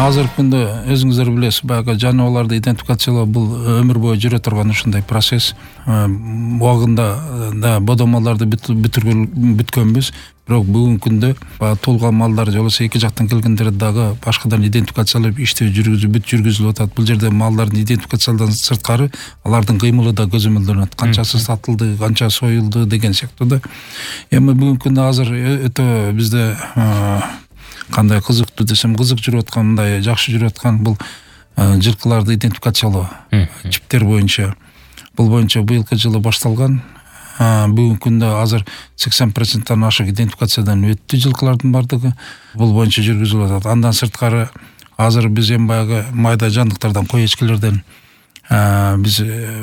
азыркы күндө өзүңүздөр билесиз, баягы жаныбарларды идентификациялоо бул өмүр бою жүрө турган ушундай процесс. Убагында да бодомалдарды бүткөнбүз, бирок бүгүнкү күндө туулган малдар же болбосо эки жактан келгендер дагы башкадан идентификациялап иштөө жүргүзүлүп атат. Бул жерде малдардын идентификациялаудан сырткары алардын кыймылы да көзөмөлдөнөт. Канчасы сатылды, канча союлду деген сыяктуу да. Эми бүгүнкү күндө азыр өтө бизде кандай кызыктуу десем, кызык жүрүп аткан, мындай жакшы жүрүп аткан бул жылкыларды идентификациялоо чиптер боюнча. Бул боюнча быйылкы жылы башталган. Бүгүнкү күндө азыр 80%-тан ашык идентификациядан өттү жылкылардын бардыгы. Бул боюнча жүргүзүлүп атат. Андан сырткары азыр биз эми баягы майда жандыктардан, кой эчкилерден биз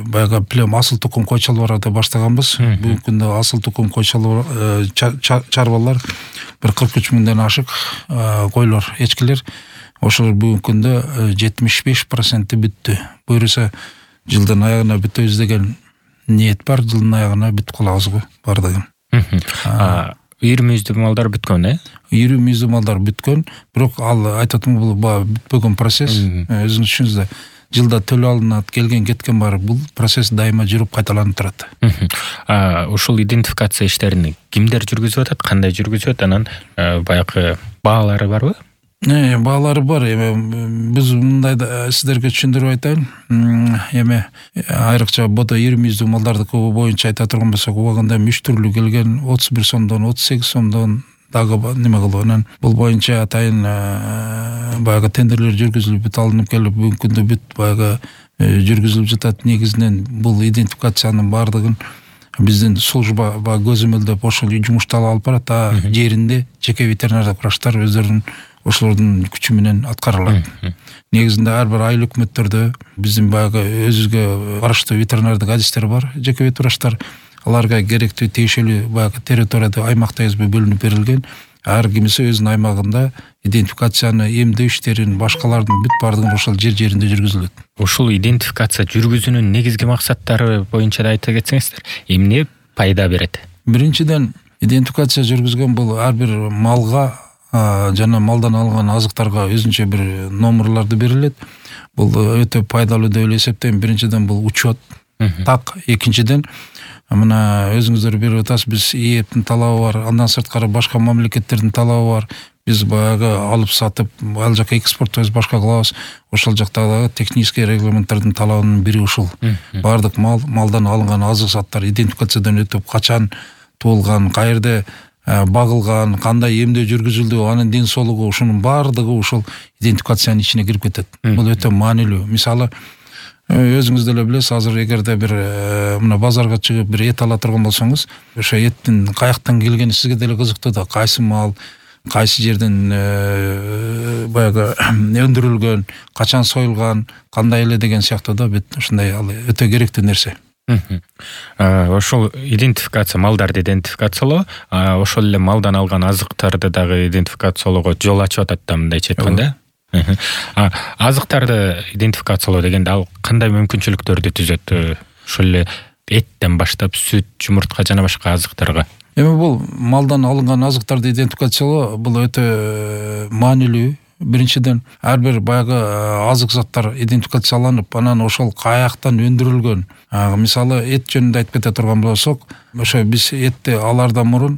баягы плем асыл тукум кой чалбарларды баштаганбыз. Бүгүнкү күндө асыл тукум кой чарбалар 43 миңден ашык койлор, эчкилер. Ошолор бүгүнкү күндө 75% бүттү. Буюрса жылдын аягына бүтөбүз деген ниет бар. Жылдын аягына бүтүп калабызбы бардыгы. Ири мүйүздүү малдар бүткөн, Ири мүйүздүү малдар бүткөн, бирок ал айтатым бул бүтпөгөн процесс. Өзүңүз түшүнүңүздөр. Жылда төлөө алынат, келген кеткен бар. Бул процесс дайыма жүрүп кайталанып турат. Ушул идентификация иштерин кимдер жүргүзүп атат, кандай жүргүзүп атат, анан баягы баалары барбы? Баалары бар. Эми биз мындай сиздерге түшүндүрүп айтайын. Эми айрыкча бодо ири мүйүздүү малдардыкы боюнча айта турган болсок, убагында 3 түрлүү келген, 31 сомдон, 38 сомдон дагы неме кылып, анан бул боюнча атайын баягы тендерлер жүргүзүлүп бүт алынып келип, бүгүнкү күндө бүт баягы жүргүзүлүп жатат. Негизинен бул идентификациянын бардыгын биздин служба көзөмөлдөп ошол жумушталып алып барат. Жеринде жеке ветеринардык врачтар өздөрүнүн ошолордун күчү менен аткарылат. Негизинде ар бир айыл өкмөттөрдө биздин баягы өзүгө караштуу ветеринардык адистер бар, жеке вет врачтар. Аларга керектүү тиешелүү баягы территорияда аймакта бөлүнүп берилген. Ар кимиси өзүнүн аймагында идентификацияны, эмдөө иштерин, башкалардын бүт бардыгын ошол жеринде жүргүзүлөт. Ушул идентификация жүргүзүүнүн негизги максаттары боюнча да айта кетсеңиздер, эмне пайда берет? Биринчиден, идентификация жүргүзгөн бул ар бир малга жана малдан алынган азыктарга өзүнчө бир номерларды берилет. Бул өтө пайдалуу деп эсептейм. Биринчиден бул учет, так. Экинчиден, мына өзүңүздөр берип атасыз, биз ээптин талабы бар, андан сырткары башка мамлекеттердин талабы бар. Биз баягы алып сатып, ал жака экспорттойбуз, башка кылабыз. Ошол жактагы технический регламенттердин талабынын бири ушул. Бардык малдан алынган азык заттар идентификациядан өтүп, качан туулган, каерде багылган, кандай эмдөө жүргүзүлдү, анын ден соолугу, ушунун бардыгы ушул идентификациянын ичине кирип кетет. Бул өтө маанилүү. Мисалы, өзүңүз деле билесиз, азыр эгерде бир мына базарга чыгып бир эт ала турган болсоңуз, ошо эттин каяктан келгени сизге деле кызыктуу да. Кайсы мал, кайсы жерден баягы өндүрүлгөн, качан союлган, кандай эле деген сыяктуу да. Бүт ушундай ал өтө керектүү нерсе. Ошол идентификация, малдарды идентификациялоо, ошол эле малдан алган азыктарды дагы идентификациялоого жол ачып атат да, мындайча айтканда. Азыктарды идентификациялоо дегенде ал кандай мүмкүнчүлүктөрдү түзөт? Ошол эле эттен баштап сүт, жумуртка жана башка азыктарга. Эми бул малдан алынган азыктарды идентификациялоо бул өтө маанилүү. Биринчиден, ар бир баягы азык заттар идентификацияланып, анан ошол каяктан өндүрүлгөн. Мисалы, эт жөнүндө айтып кете турган болсок, ошо биз этти алардан мурун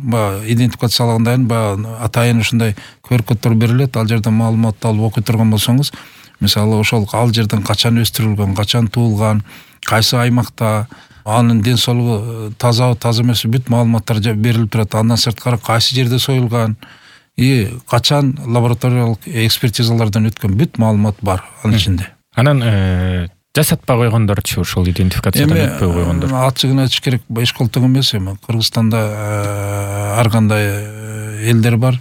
идентификациялагандан кийин атайын ушундай QR-коддор берилет. Ал жерден маалыматты алып окуй турган болсоңуз, мисалы, ошол ал жерден качан өстүрүлгөн, качан туулган, кайсы аймакта, анын ден соолугу таза эмес, бүт маалыматтар берилип турат. Андан сырткары кайсы жерде союлган, качан лабораториялык экспертизалардан өткөн, бүт маалымат бар анын ичинде. Анан жасатпай койгондорчу, ушул идентификациядан өтпөй койгондор. Ачыгын айтыш керек, эч колток эмес. Эми Кыргызстанда ар кандай элдер бар.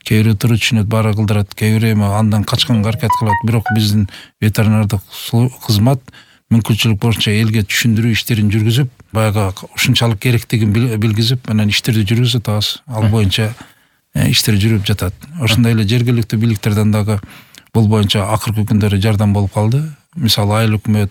Кээ бирөө туру түшүнөт, баары кылдырат, кээ бирөө эми андан качканга аракет кылат. Бирок биздин ветеринардык кызмат мүмкүнчүлүк боюнча элге түшүндүрүү иштерин жүргүзүп, баягы ушунчалык керектигин билгизип, анан иштерди жүргүзүп атабыз. Ал боюнча иштер жүрүп жатат. Ошондой эле жергиликтүү бийликтерден дагы бул боюнча акыркы күндөрү жардам болуп калды. мисалы айыл өкмөт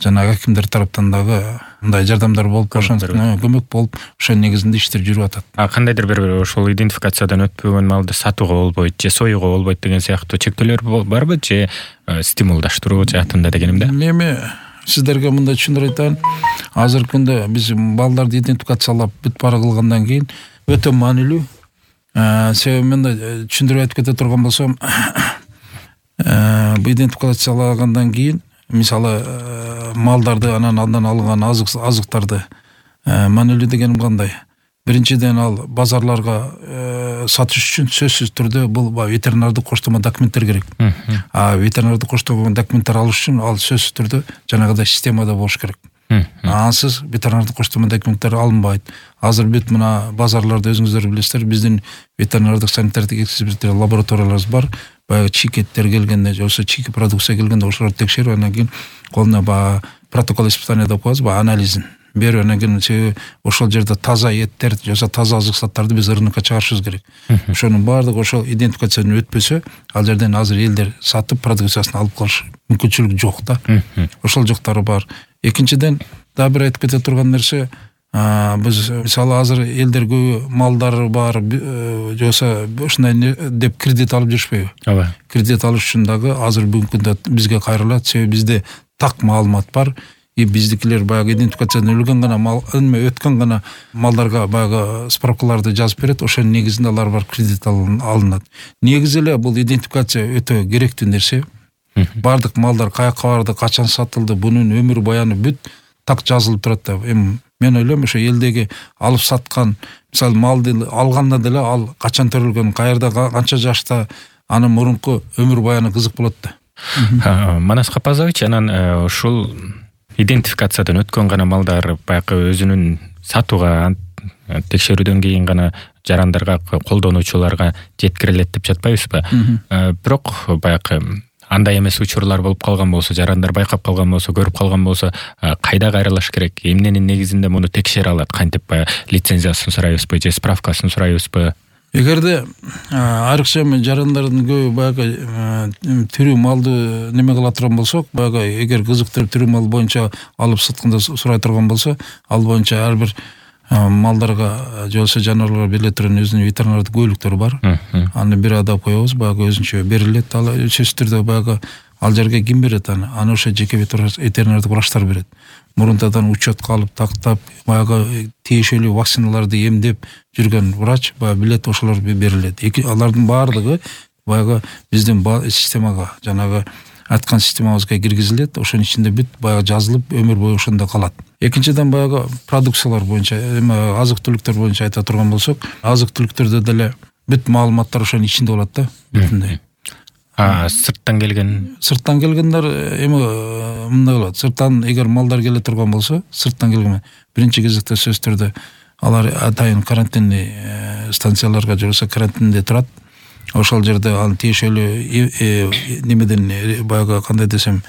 жана акимдер тараптан дагы мындай жардамдар болуп, көмөк болуп, ошо негизинде иштер жүрүп атат. Кандайдыр бир ошол идентификациядан өтпөгөн малды сатууга болбойт же союуга болбойт деген сыяктуу чектөөлөр барбы же стимулдаштыруу жаатында дегенимде? Эми сиздерге мындай түшүндүрүп айтайын. Азыркы күндө биз балдарды идентификациялап бүт баары кылгандан кийин өтө маанилүү. Себеби мындай түшүндүрүп айтып кете турган болсом, бу идентификациялагандан кийин мисалы малдарды анан андан алынган азыктарды маанилүү дегеним кандай? Биринчиден ал базарларга сатыш үчүн сөзсүз түрдө бул ветеринардык коштомо документтер керек. Ветеринардык коштомо документтер алыш үчүн ал сөзсүз түрдө жанагыдай системада болуш керек. Ансыз ветеринардык коштомо документтер алынбайт. Азыр бүт мына базарларда өзүңүздөр билесиздер, биздин ветеринардык санитардык экспертер лабораторияларыбыз бар. Баягы чийкеттер келгенде, же болбосо чийки продукция келгенде ошолорду текшерип, анан кийин колуна протокол испытания деп коебуз, анализин берип, анан кийин ошол жерде таза эттерди, же болбосо таза азык заттарды биз рынокко чыгарышыбыз керек. Ошонун баардыгы ошол идентификациядан өтпөсө, ал жерден азыр элдер сатып продукциясын алып калыш мүмкүнчүлүгү жок да. Ошол жоктары бар. Экинчиден, дагы бир айтып кете турган нерсе, биз мисалы азыр элдер көбү малдары бар, же болбосо ушундай деп кредит алып жүрүшпөйбү? Ооба. Кредит алыш үчүн дагы азыр бүгүнкү күндө бизге кайрылат, себеби бизде так маалымат бар. Биздикилер баягы идентификациядан өлгөн гана мал, өткөн гана малдарга баягы справкаларды жазып берет, ошонун негизинде алар бар кредит алынат. Негизи эле бул идентификация өтө керектүү нерсе. Бардык малдар каяка барды, качан сатылды, бунун өмүр баяны бүт так жазылып турат да. Эми мен ойлойм, ошо элдеги алып саткан, мисалы малды алганда деле ал качан төрөлгөн, каерда, канча жашта, анын мурунку өмүр баяны кызык болот да. Манас Капазович, анан ушул идентификациядан өткөн гана малдар баягы өзүнүн сатууга текшерүүдөн кийин гана жарандарга, колдонуучуларга жеткирилет деп жатпайбызбы? Бирок баягы андай эмес учурлар болуп калган болсо, жарандар байкап калган болсо, көрүп калган болсо, кайда кайрылыш керек? Эмненин негизинде муну текшере алат? Кантип лицензиясын сурайбызбы же справкасын сурайбызбы? Эгерде айрыкча жарандардын көбү баягы түрү малды неме кыла турган болсок, баягы эгер кызыктырып түрү мал боюнча алып сатканда сурай турган болсо, ал боюнча ар бир малдарга же болбосо жаныбарларга бериле турган өзүнүн ветеринардык куәликтери бар. Аны бир адап коебуз, баягы өзүнчө берилет. Ал сөзсүз түрдө баягы ал жерге ким берет аны? Аны ошо жеке ветеринардык врачтар берет. Мурунтадан учетко алып, тактап, баягы тиешелүү вакциналарды эмдеп жүргөн врач баягы билет, ошолор берилет. Алардын баардыгы баягы биздин системага, жанагы айткан системабызга киргизилет. Ошонун ичинде бүт баягы жазылып, өмүр бою ошондо калат. Экинчиден баягы продукциялар боюнча, азык-түлүктөр боюнча айта турган болсок, азык-түлүктөрдө деле бүт маалыматтар ошонун ичинде болот да, бүтүндөй. Сырттан келгендер эми мындай болот. Сырттан эгер малдар келе турган болсо, сырттан келген биринчи кезекте сөзсүз түрдө алар атайын карантинный станцияларга же болбосо карантинде турат. Ошол жерде ал тиешелүү немеден баягы кандай десем,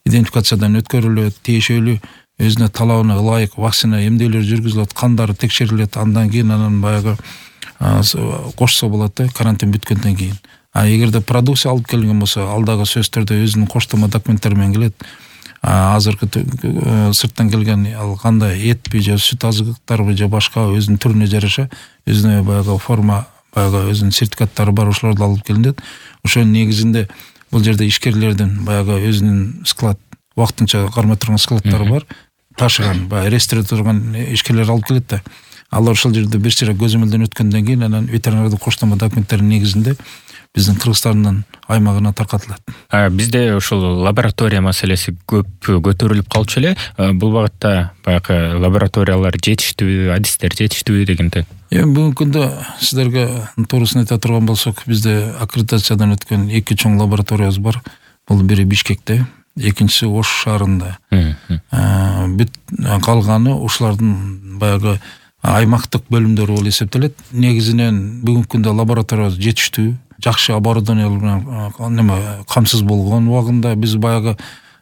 идентификациядан өткөрүлөт, тиешелүү өзүнө талабына ылайык вакцина эмделүүлөр жүргүзүлөт, кандары текшерилет, андан кийин анан баягы кошсо болот да, карантин бүткөндөн кийин. Эгерде продукция алып келген болсо, ал дагы сөзсүз түрдө өзүнүн коштомо документтери менен келет. Азыркы сырттан келген ал кандай этпи же сүт азыктарбы же башка өзүнүн түрүнө жараша өзүнө баягы форма, баягы өзүнүн сертификаттары бар, ошолорду алып келинет. Ошонун негизинде бул жерде ишкерлердин баягы өзүнүн склад, вактынча кармай турган складдары бар, ташыган, баягы ресторде турган ишкерлер алып келет да. Алар ошол жерде бир сыйра көзөмөлдөн өткөндөн кийин анан ветеринардык коштомо документтеринин негизинде биздин Кыргызстандын аймагына таркатылат. Бизде ушул лаборатория маселеси көп көтөрүлүп калчу эле. Бул багытта баягы лабораториялар жетиштүүбү, адистер жетиштүүбү дегенде? Эми бүгүнкү күндө сиздерге туурусын айта турган болсок, бизде аккредитациядан өткөн 2 чоң лабораториябыз бар. Бул бири Бишкекте, экинчиси Ош шаарында. Бүт калганы ушулардын баягы аймактык бөлүмдөрү болуп эсептелет. Негизинен бүгүнкү күндө лабораториябыз жетиштүү, жакшы оборудованиялар менен камсыз болгон убагында биз баягы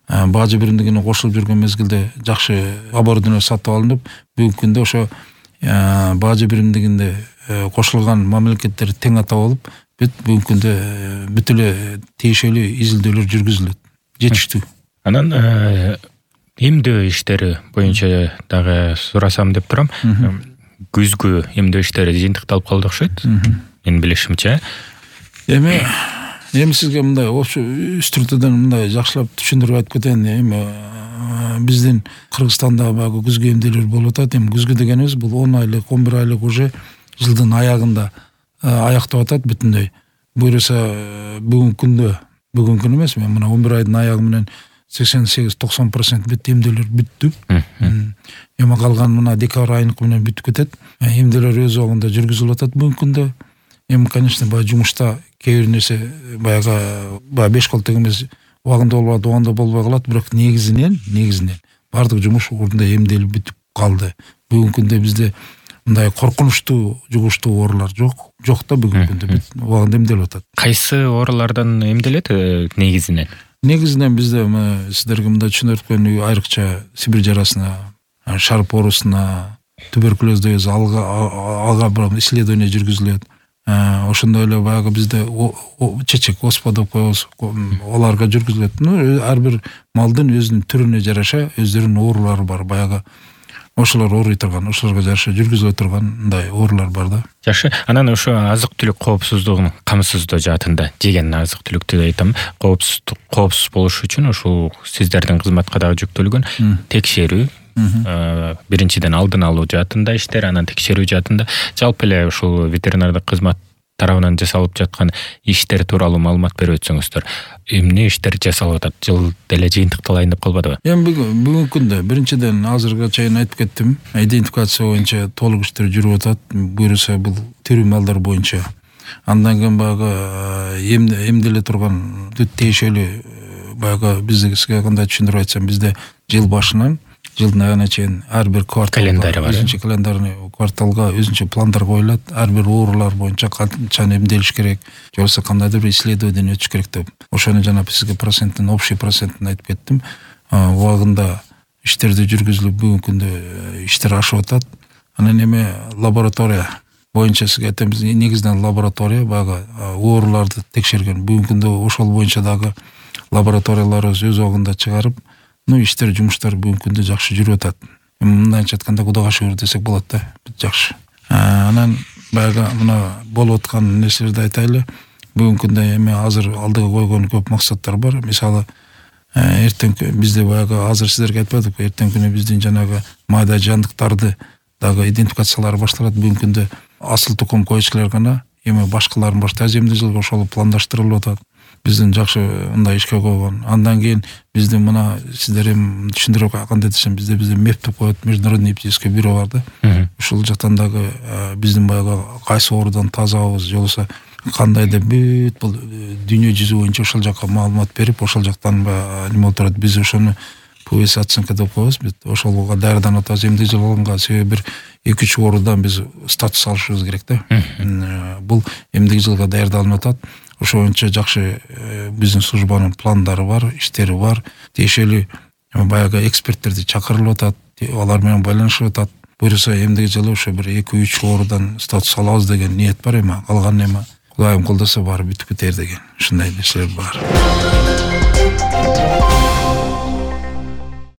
бажы биримдигине кошулуп жүргөн мезгилде жакшы оборудование сатып алынып, бүгүнкү күндө ошо бажы биримдигинде кошулган мамлекеттер тең атап алып, бүт бүгүнкү күндө бүт эле тиешелүү изилдөөлөр жүргүзүлөт. Жетиштүү. Анан эмдөө иштери боюнча дагы сурасам деп турам. Күзгү эмдөө иштери жыйынтыкталып калды окшойт. Менин билишимче. Эми сизге мындай үч түрдөн мындай жакшылап түшүндүрүп айтып кетейин. Эми биздин Кыргызстанда баягы күзгү эмдээлер болуп атат. Эми күзгү дегенибиз бул 10 айлык, 11 айлык уже жылдын аягында аяктап атат бүтүндөй. Буюрса бүгүнкү күн эмес, мен мына 11 айдын аягы менен 88-90% бүт эмдээлер бүттү. Эми калган мына декабрь айыныкы менен бүтүп кетет. Эмдээлер өз убагында жүргүзүлүп атат бүгүнкү күндө. Эми конечно баягы жумушта кээ бир нерсе баягы 5 колтек эмес убагында болбойт, убагында болбой калат, бирок негизинен баардык жумуш ордунда эмделип бүтүп калды. Бүгүнкү күндө бизде мындай коркунучтуу жугуштуу оорулар жок да, бүгүнкү күндө убагында эмделип атат. Кайсы оорулардан эмделет негизинен? Негизинен бизде сиздерге мындай түшүндүрүп өткөн айрыкча Сибирь жарасына, шарп оорусуна, туберкулезде алга бир исследование жүргүзүлөт. Ошондой эле баягы бизде чечек оспа деп коебуз, аларга жүргүзүлөт. Ар бир малдын өзүнүн түрүнө жараша өздөрүнүн оорулары бар. Баягы ошолор ооруй турган, ошолорго жараша жүргүзүлө турган мындай оорулар бар да. Жакшы. Анан ошо азык-түлүк коопсуздугун камсыздоо жаатында, жеген азык-түлүктү айтам, коопсуз болуш үчүн ушул сиздердин кызматка дагы жүктөлгөн текшерүү, биринчиден алдын алуу жаатында иштер, анан текшерүү жаатында жалпы эле ушул ветеринардык кызмат тарабынан жасалып жаткан иштер тууралуу маалымат берип өтсөңүздөр. Эмне иштер жасалып атат? Жыл деле жыйынтыкталайын деп калбадыбы? Эми бүгүнкү күндө биринчиден азыркыга чейин айтып кеттим, идентификация боюнча толук иштер жүрүп атат. Буюрса бул тирүү малдар боюнча. Андан кийин баягы эмделе турган тиешелүү баягы бизге кандай түшүндүрүп айтсам, бизде жыл башынан жылдын аягына чейин ар бир кварталга өзүнчө календарный кварталга өзүнчө пландар коюлат. Ар бир оорулар боюнча канча эмделиш керек, же болбосо кандайдыр бир исследование өтүш керек деп. Ошону жана сизге общий процентин айтып кеттим. Убагында иштерди жүргүзүлүп бүгүнкү күндө иштер ашып атат. Анан эми лаборатория боюнча сизге айтабыз, негизинен лаборатория баягы ооруларды текшерген. Бүгүнкү күндө ошол боюнча дагы лабораторияларыбыз өз убагында чыгарып, иштер, жумуштар бүгүнкү күндө жакшы жүрүп атат. Мындайча айтканда Кудайга шүгүр десек болот да, жакшы. Анан баягы мына болуп аткан нерселерди айтайлы. Бүгүнкү күндө эми азыр алдыга койгон көп максаттар бар. Мисалы, эртең бизде баягы азыр сиздерге айтпадык, эртең күнү биздин жанагы майда жандыктарды дагы идентификациялары башталат. Бүгүнкү күндө асыл тукум койчулар гана, эми башкаларын башта эмделүүгө ошол пландаштырылып атат. Биздин жакшы мындай ишке койгон. Андан кийин биздин мына сиздер эми түшүндүрүп кандай десем, бизде меп деп коет, международный эпизодическое бюро бар да. Ушул жактан дагы биздин баягы кайсы оорудан тазабыз, же болбосо кандай деп бүт бул дүйнө жүзү боюнча ошол жакка маалымат берип, ошол жактан неме болуп турат. Биз ошону ПВС оценка деп коебуз. Бүт ошолго даярданып атабыз эмделип алганга. Себеби бир 2-3 оорудан биз статус алышыбыз керек да. Бул эмдик жылга даярдалынып атат. Ошо боюнча жакшы биздин службанын пландары бар, иштери бар. Тиешелүү баягы эксперттерди чакырылып атат, алар менен байланышып атат. Буюрса эмдик жылы ошо бир 2-3 оорудан статус алабыз деген ниет бар. Эми калган эми Кудайым колдосо баары бүтүп кетер деген ушундай нерселер бар.